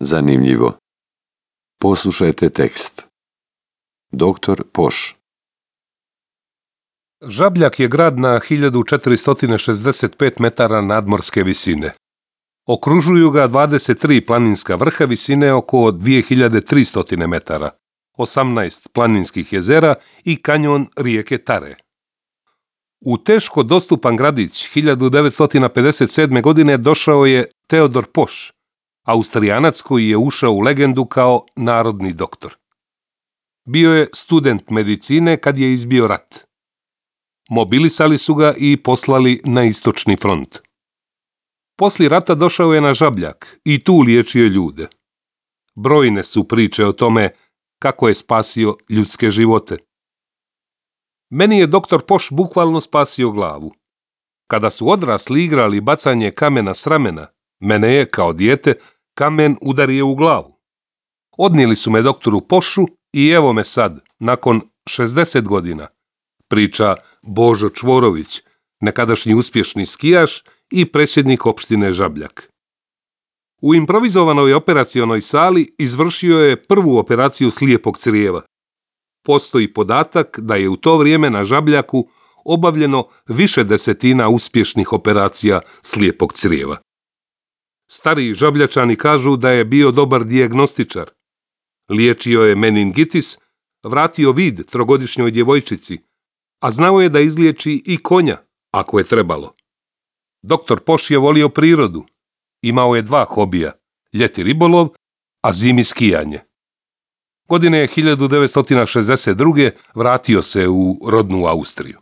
Zanimljivo. Poslušajte tekst. Doktor Poš. Žabljak je grad na 1465 metara nadmorske visine. Okružuju ga 23 planinska vrha visine oko 2300 metara, 18 planinskih jezera i kanjon rijeke Tare. U teško dostupan gradić 1957. godine došao je Teodor Poš, Austrijanac koji je ušao u legendu kao narodni doktor. Bio je student medicine kad je izbio rat. Mobilisali su ga i poslali na istočni front. Poslije rata došao je na Žabljak i tu liječio ljude. Brojne su priče o tome kako je spasio ljudske živote. Meni je doktor Poš bukvalno spasio glavu. Kada su odrasli igrali bacanje kamena s ramena, mene je, kao dijete, kamen udario u glavu. Odnijeli su me doktoru Pošu i evo me sad, nakon 60 godina, priča Božo Čvorović, nekadašnji uspješni skijaš i predsjednik opštine Žabljak. U improvizovanoj operacionoj sali izvršio je prvu operaciju slijepog crijeva. Postoji podatak da je u to vrijeme na Žabljaku obavljeno više desetina uspješnih operacija slijepog crijeva. Stariji Žabljačani kažu da je bio dobar dijagnostičar. Liječio je meningitis, vratio vid trogodišnjoj djevojčici, a znao je da izliječi i konja, ako je trebalo. Doktor Poš je volio prirodu. Imao je 2 hobija, ljeti ribolov, a zimi skijanje. Godine 1962. vratio se u rodnu Austriju.